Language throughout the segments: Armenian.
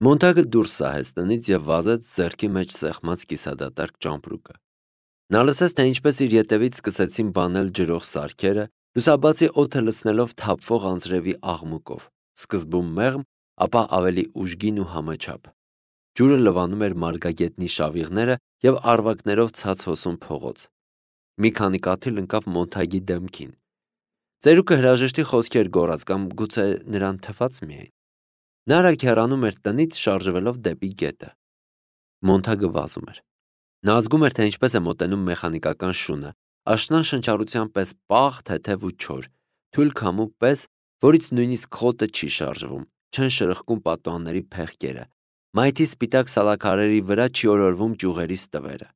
Մոնտագը դուրս սահեց տնից և վազեց ձեռքի մեջ սեղմած կիսադատարկ ճամպրուկը։ Նա լսեց, թե ինչպես իր ետևից սկսեցին բանել ջրող սարքերը, լուսաբացի օդը լցնելով թափվող անձրևի աղմուկով, սկզբում մեղմ, ապա ավելի ուժգին ու համաչափ։ Ջուրը լվանում էր մարգագետնի շավիղները և առվակներով ցած հոսում փողոց։ Մի քանի կաթիլ ընկավ Մոնտագի դեմքին։ Ծերուկը հրաժեշտի խոսքեր գոռաց կամ գուցե նրան թվաց միայն։ Նա արագ հեռանում էր տնից, շարժվելով դեպի գետը։ Մոնտագը վազում էր։ Նա զգում էր, թե ինչպես է մոտենում մեխանիկական շունը, աշնան շնչառության պես պաղ, թեթև ու չոր, թույլ քամու պես, որից նույնիսկ խոտը չի շարժվում, չեն շրխկում պատուհանների փեղկերը, մայթի սպիտակ սալաքարերի վրա չի օրորվում ճյուղերի ստվերը։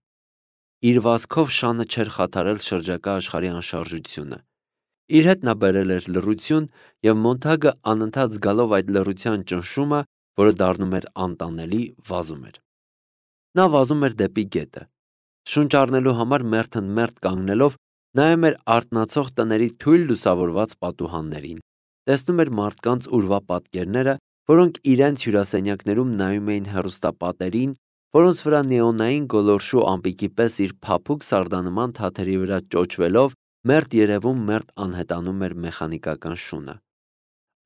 Իր վազքով շանը չէր խաթարել շրջակա աշխարհի անշարժությունը։ Իր հետ նա բերել էր լռություն, և Մոնտագը անընդհատ զգալով այդ լռության ճնշումը, որը դառնում էր անտանելի, վազում էր։ Նա վազում էր դեպի գետը։ Շունչ առնելու համար մերթընդմերթ կանգնելով, նայում էր արթնացող տների թույլ լուսավորված պատուհաններին, տեսնում էր մարդկանց ուրվա պատկերները, որոնք իրենց հյուրասենյակներում նայում էին հեռուստապատերին, որոնց վրա նեոնային գոլորշու ամպիկի պես իր փափուկ սարդանման թաթերի վրա ճոճվելով մերթ երևում, մերթ անհետանում էր մեխանիկական շունը։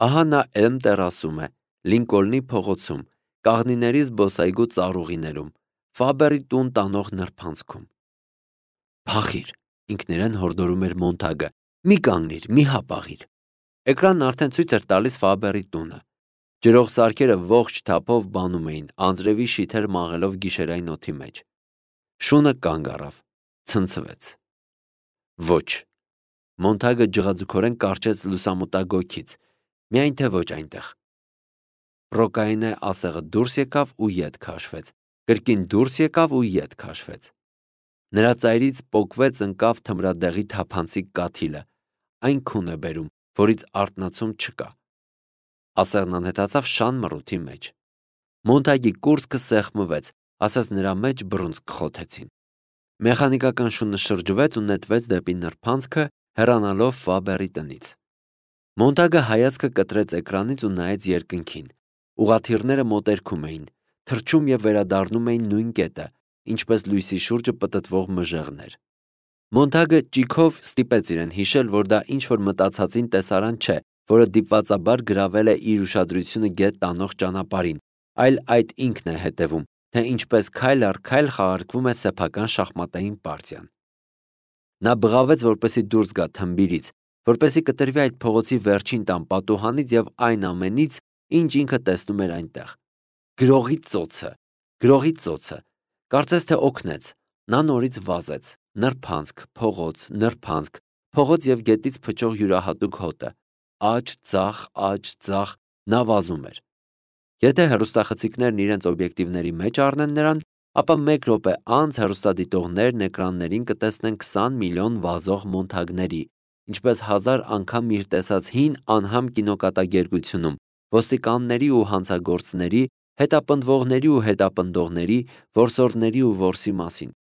Ահա նա Էլմ տերասում է, Լինկոլնի փողոցում, կաղնիների զբոսայգու ծառուղիներում, Ֆաբերի տուն տանող նրբանցքում։ Փախիր, ինքներեն հորդորում էր Մոնտագը, մի կանգնիր, մի հապաղիր։ Էկրանն արդեն ցույց էր տալիս Ֆաբերի տունը։ Ջրող սարքերը ողջ թափով բանում էին, անձրևի շիթեր մաղելով գիշերային օդի մեջ։ Շունը կանգ առավ, ցնցվեց։ Ոչ։ Մոնտագը ջղաձգորեն կարճեց լուսամուտագոգից, միայն թե ոչ այնտեղ։ Պրոկայինե ասեղը դուրս եկավ ու ետ քաշվեց, կրկին դուրս եկավ ու ետ քաշվեց։ Նրա ծայրից պոկվեց ընկավ թմրադեղի թափանցիկ կաթիլը, այն քուն է բերում, որից արթնացում չկա։ Ասեղն անհետացավ շան մռութի մեջ։ Մոնտագի կուրծքը սեղմվեց, ասես նրա մեջ բռունցք խոթեցին։ Մեխանիկական շունը շրջվեց ու նետվեց դեպի նրբանցքը, հեռանալով Ֆաբերի տնից։ Մոնտագը հայացքը կտրեց էկրանից ու նայեց երկնքին։ Ուղղաթիռները մոտերքում էին, թռչում և վերադառնում էին նույն կետը, ինչպես լույսի շուրջը պտտվող մժեղներ։ Մոնտագը ճիգով ստիպեց իրեն հիշել, որ դա ինչ-որ մտածածին տեսարան չէ, որը դիպվածաբար գրավել է իր ուշադրությունը գետ տանող ճանապարհին, այլ այդ ինքն է հետևում, թե ինչպես քայլ առ քայլ խաղարկվում է սեփական շախմատային պարտիան։ Նա բղավեց, որպեսզի դուրս գա թմբիրից, որպեսզի կտրվի այդ փողոցի վերջին տան պատուհանից և այն ամենից, ինչ ինքը տեսնում էր այնտեղ։ Գրողի ծոցը, գրողի ծոցը, կարծես թե օգնեց։ Նա նորից վազեց, նրբանցք, փողոց և գետից փչող յուրահատուկ հոտը, աջ, ձախ, նա վազում էր։ Եթե հեռուստախցիկներն իրենց օբյեկտիվների մեջ առնեն նրան, ապա մեկ րոպե անց հեռուստադիտողներն էկրաններին կտեսնեն 20 միլիոն վազող Մոնտագների, ինչպես 1000 անգամ իր տեսած հին անհամ կինոկատակերգությունում, ոստիկանների ու հանցագործների, հետապնդվողների ու հետապնդողների, որսորդների ու որսի մասին։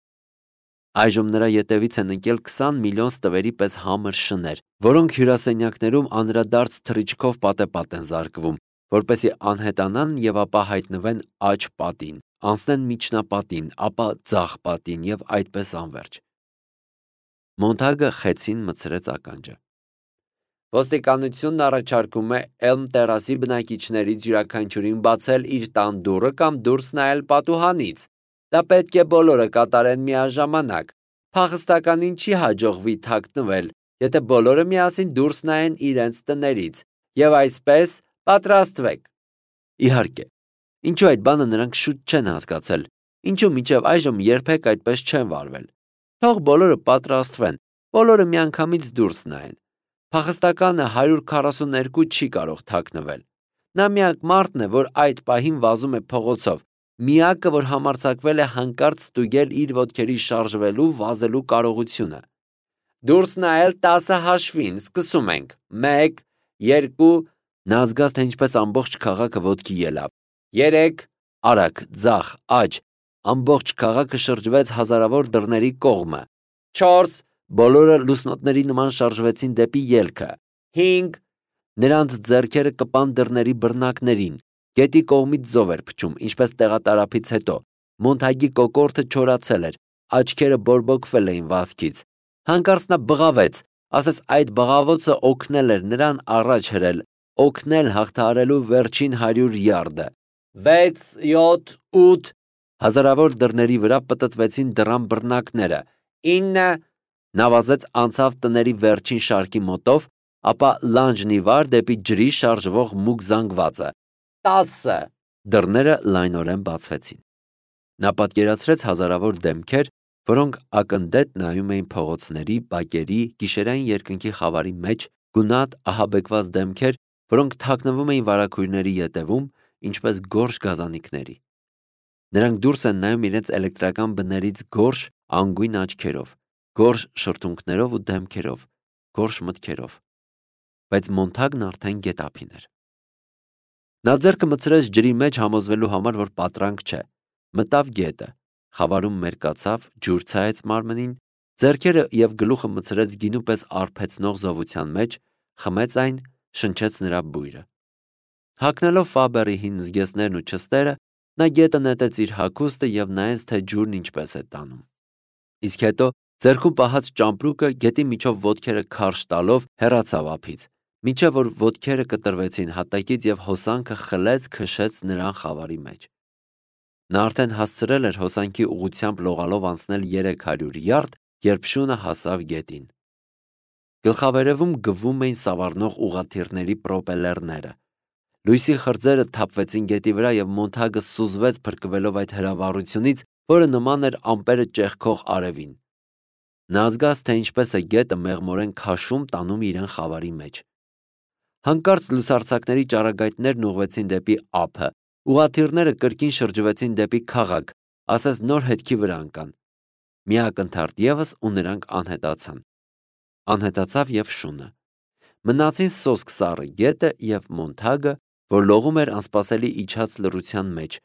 Այժմ նրա ետևից են ընկել 20 միլիոն ստվերի պես համր շներ, որոնք հյուրասենյակներում անդրադարձ թռիչքով պատեպատ են զարկվում, որպեսզի անհետանան և ապա հայտնվեն աջ պատին, անցնեն միջնապատին, ապա ձախ պատին և այդպես անվերջ։ Մոնտագը խեցին մտցրեց ականջը։ Ոստիկանությունն առաջարկում է Էլմ տերասի բնակիչներից յուրաքանչյուրին բացել իր տան դուռը կամ դուրս նայել պատուհանից։ Դա պետք է բոլորը կատարեն միաժամանակ։ Փախստականին չի հաջողվի թաքնվել, եթե բոլորը միասին դուրս նայեն իրենց տներից։ Եվ այսպես պատրաստվեք։ Իհարկե, ինչու այդ բանը նրանք շուտ չեն հասկացել, ինչու մինչև այժմ երբեք այդպես չեն վարվել։ Թող բոլորը պատրաստվեն, բոլորը միանգամից դուրս նայեն։ Փախստականը 142 չի կարող թաքնվել։ Նա միակ մարդն է, որ այդ պահին վազում է փողոցով, միակը, որ համարձակվել է հանկարծ ստուգել իր ոտքերի շարժվելու, վազելու կարողությունը։ Դուրս նայել 10 հաշվին, սկսում ենք։ 1, 2, նա զգաց, թե ինչպես ամբողջ քաղաքը ոտքի ելավ։ 3, արագ, ձախ, աջ, ամբողջ քաղաքը շրջվեց հազարավոր դռների կողմը։ 4, բոլորը լուսնոտների նման շարժվեցին դեպի ելքը։ 5, նրանց ձեռքերը կպան դռների բռնակներին։ Գետի կողմից ձով էր փչում, ինչպես տեղատարափից հետո։ Մոնթագի կոկորդը չորացել էր, աչքերը բորբոքվել էին վազքից։ Հանկարծ նա բղավեց, ասես այդ բղավոցը օգնել էր նրան առաջ հրել, օգնել հաղթահարելու վերջին 100 յարդը։ 6, 7, 8 Հազարավոր դռների վրա պտտվեցին դռան բռնակները։ 9 Նա վազեց անցավ տների վերջին շարքի մոտով, ապա լանջն ի վար դեպի ջրի շարժվող մուգ զանգվածը։ 10 Դռները լայնորեն բացվեցին։ Նա պատկերացրեց հազարավոր դեմքեր, որոնք ակնդետ նայում էին փողոցների, բակերի, գիշերային երկնքի խավարի մեջ, գունատ, ահաբեկված դեմքեր, որոնք թաքնվում էին վարագույրների ետևում, ինչպես գորշ գազանիկների։ Նրանք դուրս են նայում իրենց էլեկտրական բներից գորշ, անգույն աչքերով, գորշ շրթունքներով ու դեմքերով, գորշ մտքերով։ Բայց Մոնթագն արդեն գետափին էր։ Նա ձեռքը մտցրեց ջրի մեջ համոզվելու համար, որ պատրանք չէ։ Մտավ գետը, խավարում մերկացավ, ջուր ցայեց մարմնին, ձեռքերը և գլուխը մտցրեց գինու պես արբեցնող զովության մեջ, խմեց այն, շնչեց նրա բույրը։ Հագնելով Ֆաբերի հին զգեստներն ու չստերը, նա գետը նետեց իր հագուստը և նայեց, թե ջուրն ինչպես է տանում։ Իսկ հետո ձեռքում պահած ճամպրուկը գետի միջով ոտքերը քարշ տալով հեռացավ ափից, մինչև որ ոտքերը կտրվեցին հատակից և հոսանքը խլեց քշեց նրան խավարի մեջ։ Նա արդեն հասցրել էր հոսանքի ուղղությամբ լողալով անցնել 300 յարդ, երբ շունը հասավ գետին։ Գլխավերևում գվում էին սավառնող ուղղաթիռների պրոպելերները։ Լույսի խրձերը թափվեցին գետի վրա և Մոնթագը սուզվեց փրկվելով այդ հրավառությունից, որը նման էր ամպերը ճեղքող արևին։ Նա զգաց, թե ինչպես է գետը մեղմորեն քաշում տանում իրեն խավարի մեջ։ Հանկարծ լուսարձակների ճառագայթներն ուղղվեցին դեպի ափը, ուղղաթիռները կրկին շրջվեցին դեպի քաղաք, ասես նոր հետքի վրա ընկան։ Մի ակնթարթ ևս ու նրանք անհետացան։ Անհետացավ և շունը։ Մնացին սոսկ սառը գետը և Մոնթագը, որ լողում էր անսպասելի իջած լռության մեջ,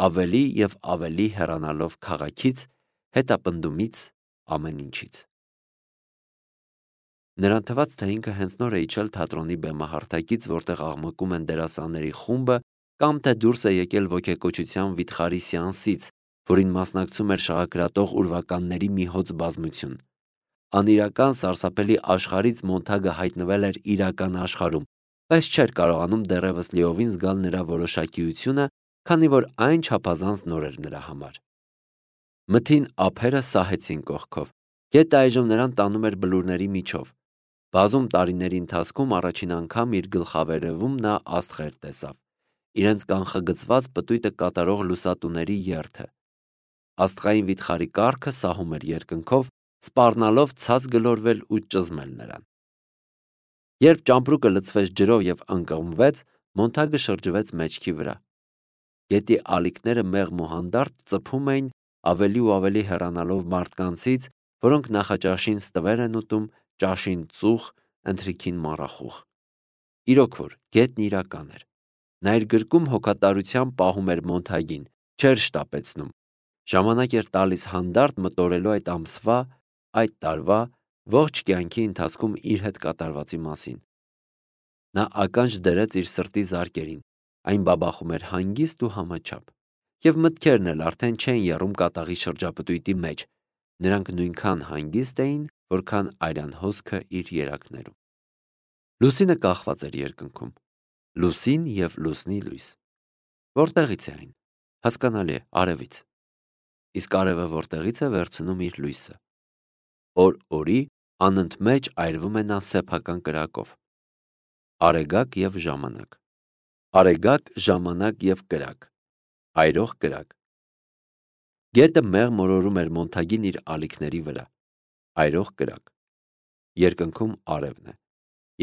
ավելի և ավելի հեռանալով քաղաքից, հետապնդումից, ամեն ինչից։ Նրան թվաց, թե ինքը հենց նոր է իջել թատրոնի բեմահարթակից, որտեղ աղմկում են դերասանների խումբը, կամ թե դուրս է եկել ոգեկոչության վիթխարի սեանսից, որին մասնակցում էր շաղակրատող ուրվականների մի հոծ բազմություն։ Անիրական սարսափելի աշխարհից Մոնթագը հայտնվել էր իրական աշխարհում, բայց չէր կարողանում դեռևս լիովին զգալ նրա որոշակիությունը, քանի որ այն չափազանց նոր էր նրա համար։ Մթին ափերը սահեցին կողքով։ Գետը այժմ նրան տանում էր բլուրների միջով։ Բազում տարիների ընթացքում առաջին անգամ իր գլխավերևում նա աստղեր տեսավ, իրենց կանխագծված պտույտը կատարող լուսատուների երթը։ Աստղային վիթխարի կառքը սահում էր երկնքով, սպառնալով ցած գլորվել ու ճզմել նրան։ Երբ ճամպրուկը լցվեց ջրով և ընկղմվեց, Մոնթագը շրջվեց մեջքի վրա։ Գետի ալիքները մեղմ ու հանդարտ ծփում էին, ավելի ու ավելի հեռանալով մարդկանցից, որոնք նախաճաշին ստվեր են ուտում, ճաշին ծուխ, ընթրիքին մառախուղ։ Իրոք որ, գետն իրական էր։ Նա իր գրկում հոգատարությամբ պահում էր Մոնթագին, չէր շտապեցնում։ Ժամանակ էր տալիս հանդարտ մտորելու այդ ամսվա, այդ տարվա, ողջ կյանքի ընթացքում իր հետ կատարվածի մասին։ Նա ականջ դրեց իր սրտի զարկերին, այն բաբախում էր հանգիստ ու համաչափ, և մտքերն էլ արդեն չէին եռում կատաղի շրջապտույտի մեջ, նրանք նույնքան հանգիստ էին, որքան արյան հոսքը իր երակներում։ Լուսինը կախված էր երկնքում, լուսին և լուսնի լույս։ Որտեղից է այն։ Հասկանալի է, արևից։ Իսկ արևը որտեղից է վերցնում իր լույսը։ Օր-օրի անընդմեջ այրվում է նա սեփական կրակով։ Արեգակ և ժամանակ։ Արեգակ, ժամանակ և կրակ։ Այրող կրակ։ Գետը մեղմ օրորում էր Մոնթագին իր ալիքների վրա։ Այրող կրակ։ Երկնքում արևն է։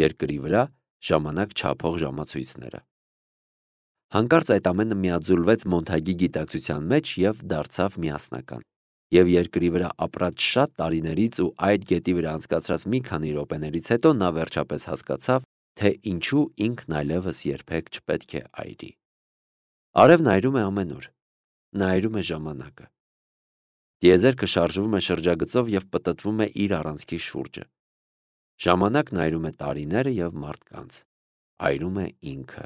Երկրի վրա ժամանակ չափող ժամացույցները։ Հանկարծ այդ ամենը միաձուլվեց Մոնթագի գիտակցության մեջ և դարձավ միասնական։ Եվ երկրի վրա ապրած շատ տարիներից ու այդ գետի վրա անցկացրած մի քանի րոպեներից հետո նա վերջապես հասկացավ, թե ինչու ինքն այլևս երբեք չպետք է այրի։ Արևն այրում է ամեն օր։ Նա այրում է ժամանակը։ Տիեզերքը շարժվում է շրջագծով և պտտվում է իր առանցքի շուրջը։ Ժամանակն այրում է տարիները և մարդկանց։ Այրում է ինքը,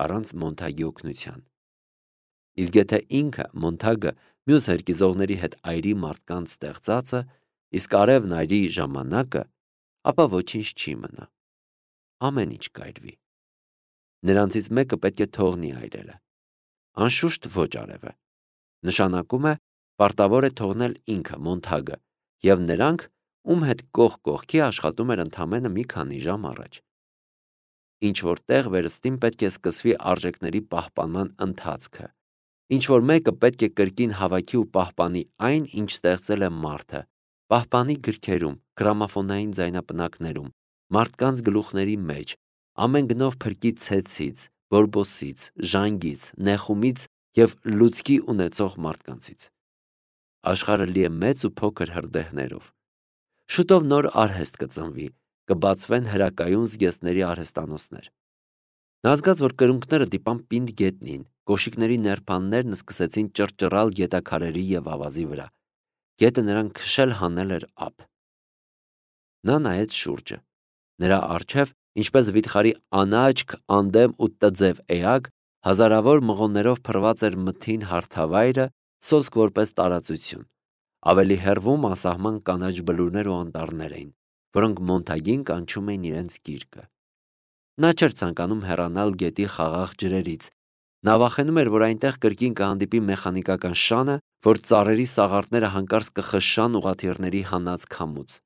առանց Մոնթագի օգնության։ Իսկ եթե ինքը Մոնթագը մյուս հերկիզողների հետ այրի մարդկանց ստեղծածը, իսկ արևն այրի ժամանակը, ապա ոչինչ չի մնա։ Ամեն ինչ կայրվի։ Նրանցից մեկը պետք է թողնի այրելը։ Անշուշտ ոչ արևը։ Նշանակում է պարտավոր է թողնել ինքը Մոնթագը եւ նրանք, ում հետ կողք կողքի աշխատում էր ընդամենը մի քանի ժամ առաջ։ Ինչ որ տեղ վերստին պետք է սկսվի արժեքների պահպանման ընթացքը։ Ինչ որ մեկը պետք է կրկին հավաքի ու պահպանի այն, ինչ ստեղծել է մարդը, պահպանի գրքերում, գրամաֆոնային ձայնապնակներում, մարդկանց գլուխների մեջ, ամեն գնով փրկի ցեցից, բորբոսից, ժանգից, նեխումից եւ լուցկի ունեցող մարդկանցից։ Աշխարհը լի է մեծ ու փոքր հրդեհներով։ Շուտով նոր արհեստ կծնվի, կբացվեն հրակայուն զգեստների արհեստանոցներ։ Նա զգաց, որ կրունկները դիպան պինդ գետնին, կոշիկների ներփաններն սկսեցին ճռճռալ գետաքարերի եւ ավազի վրա։ Գետը նրան քշել հանել էր ափ։ Նա նայեց շուրջը։ Նրա առջև, ինչպես վիթխարի անաչք, անդեմ ու տձև էակ, հազարավոր մղոններով փռված էր մթին հարթավայրը, սոսկ որպես տարածություն։ Ավելի հեռվում ասահման կանաչ բլուրներ ու անտառներ էին, որոնք Մոնթագին կանչում էին իրենց գիրկը։ Նա չէր ցանկանում հեռանալ գետի խաղաղ ջրերից։ Նա վախենում էր, որ այնտեղ կրկին կհանդիպի մեխանիկական շանը, որ ծառերի սաղարթները հանկարծ կխշշան ուղղաթիռների հանած քամուց։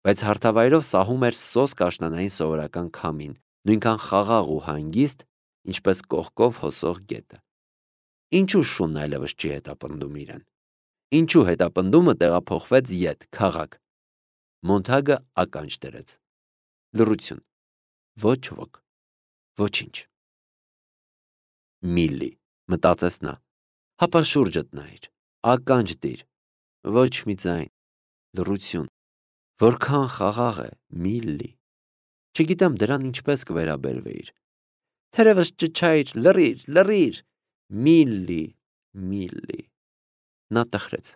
Բայց հարթավայրով սահում էր սոսկ աշնանային սովորական քամին, նույնքան խաղաղ ու հանգիստ, ինչպես կողքով հոսող գետը։ Ինչու շունն այլևս չի հետապնդում իրեն։ Ինչու հետապնդումը տեղափոխվեց ետ, քաղաք։ Մոնթագը ականջ դրեց։ Լռություն։ Ոչ ոք։ Ոչինչ։ Միլլի, մտածեց նա։ Հապա շուրջդ նայիր, ականջ դիր։ Ոչ մի ձայն։ Լռություն։ Որքան խաղաղ է, Միլլի։ Չգիտեմ դրան ինչպես կվերաբերվեիր։ Թերևս ճչայր, լռիր, լռիր։ Միլլի, Միլլի։ Նա տխրեց։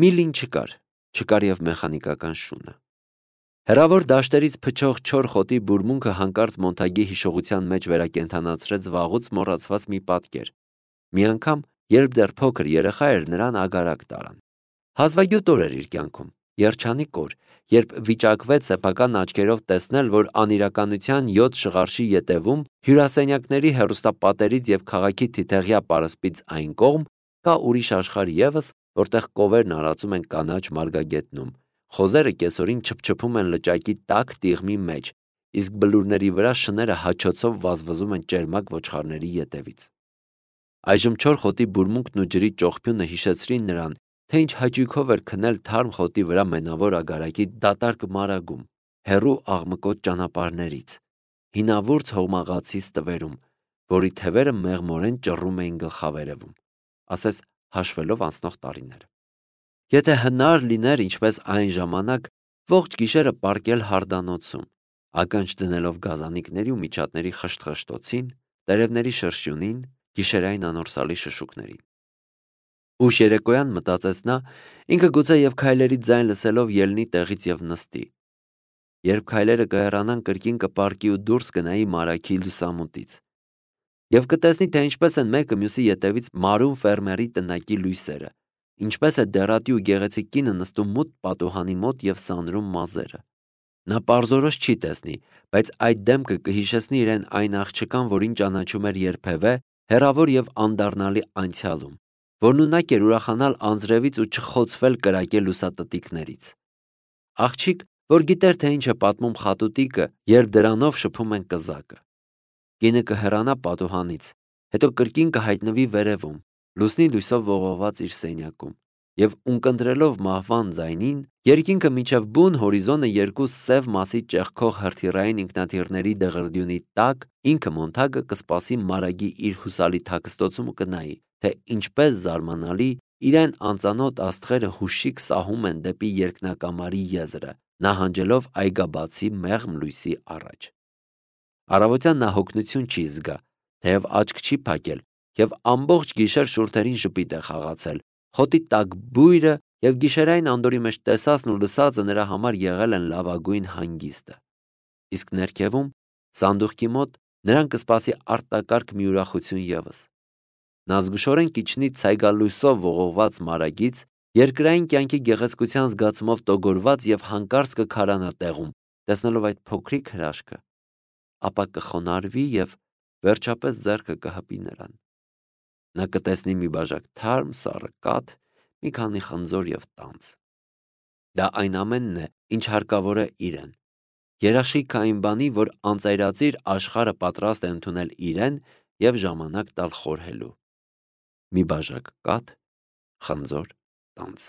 Միլլին չկար եւ մեխանիկական շունը։ Հեռավոր դաշտերից փչող չոր խոտի բուրմունքը հանկարծ Մոնթագի հիշողության մեջ վերակենդանացրեց վաղուց մոռացված մի պատկեր։ Մի անգամ, երբ դեռ փոքր երեխա էր, նրան ագարակ տարան։ Հազվագյուտ օր էր իր կյանքում, երջանիկ օր, երբ վիճակվեց սեփական աչքերով տեսնել, որ անիրականության 7 շղարշի ետևում, հյուրասենյակների հեռուստապատերից եւ քաղաքի թիթեղյա պարսպից այն կողմ, կա ուրիշ աշխարհ եւս, որտեղ կովերն արածում են կանաչ մարգագետնում, խոզերը կեսօրին չփչփում են լճակի տաք տիղմի մեջ, իսկ բլուրների վրա շները հաչոցով վազվզում են ճերմակ ոչխարների ետևից։ Այժմ չոր խոտի բուրմունքն ու ջրի ճողփյունը հիշեցրին նրան, թե ինչ հաճույքով էր քնել թարմ խոտի վրա մենավոր ագարակի դատարկ մարագում, հեռու աղմկոտ ճանապարհներից, հինավուրց հողմաղացի ստվերում, որի թևերը մեղմորեն ճռում էին գլխավերևում, ասես հաշվելով անցնող տարիները։ Եթե հնար լիներ, ինչպես այն ժամանակ, ողջ գիշերը պառկել հարդանոցում, ականջ դնելով գազանիկների ու միջատների խշտխշտոցին, տերևների շրշյունին, գիշերային անորսալի շշուկներին։ Ուշ երեկոյան մտածեց նա, ինքը գուցե եւ քայլերի ձայն լսելով ելնի տեղից եւ նստի։ Երբ քայլերը կհեռանան, կրկին կպառկի ու դուրս կնայի մարագի լուսամուտից։ Եվ կտեսնի, թե ինչպես են մեկը մյուսի ետևից մարում ֆերմերի տնակի լույսերը, ինչպես է դեռատի ու գեղեցիկ կինը նստում մութ պատուհանի մոտ եւ սանրում մազերը։ Նա պարզորոշ չի տեսնի, բայց այդ դեմքը կհիշեցնի իրեն այն աղջկան, որին ճանաչում էր երբևէ, հեռավոր եւ անդառնալի անցյալում, որն ունակ էր ուրախանալ անձրևից ու չխոցվել կրակե լուսատտիկներից։ Աղջիկ, որ գիտեր, թե ինչ է պատմում խատուտիկը, երբ դրանով շփում են կզակը։ Կինը կհեռանա պատուհանից, հետո կրկին կհայտնվի վերևում, լուսնի լույսով ողողված իր սենյակում, եւ ունկնդրելով մահվան ձայնին, երկինքը միջև բուն հորիզոնը երկու սև մասի ճեղքող հրթիռային ինքնաթիռների դղրդյունի տակ, ինքը Մոնթագը կսպասի մարագի իր հուսալի թաքստոցում ու կնայի, թե ինչպես զարմանալի իրեն անծանոթ աստղերը հուշիկ սահում են դեպի երկնակամարի եզրը, նահանջելով այգաբացի մեղմ լույսի առաջ։ Առավոտյան նա հոգնություն չի զգա, թեև աչք չի փակել, եւ ամբողջ գիշեր շուրթերին ժպիտ է խաղացել, խոտի տաք բույրը եւ գիշերային անդորի մեջ տեսածն ու լսածը նրա համար եղել են լավագույն հանգիստը։ Իսկ ներքևում, սանդուղքի մոտ, նրան կսպասի արտակարգ մի ուրախություն ևս։ Նա զգուշորեն կիջնի ցայգալույսով ողողված մարագից, երկրային կյանքի գեղեցկության զգացումով տոգորված եւ հանկարծ կքարանա տեղում, տեսնելով այդ փոքրիկ հրաշքը, ապա կխոնարհվի եւ վերջապես ձեռքը կհպի նրան։ Նա կտեսնի մի բաժակ թարմ սառը կաթ, մի քանի խնձոր եւ տանձ։ Դա այն ամենն է, ինչ հարկավոր է իրեն։ Երաշխիքը այն բանի, որ անծայրածիր աշխարհը պատրաստ է ընդունել իրեն եւ ժամանակ տալ խորհելու։ Մի բաժակ կաթ, խնձոր, տանձ։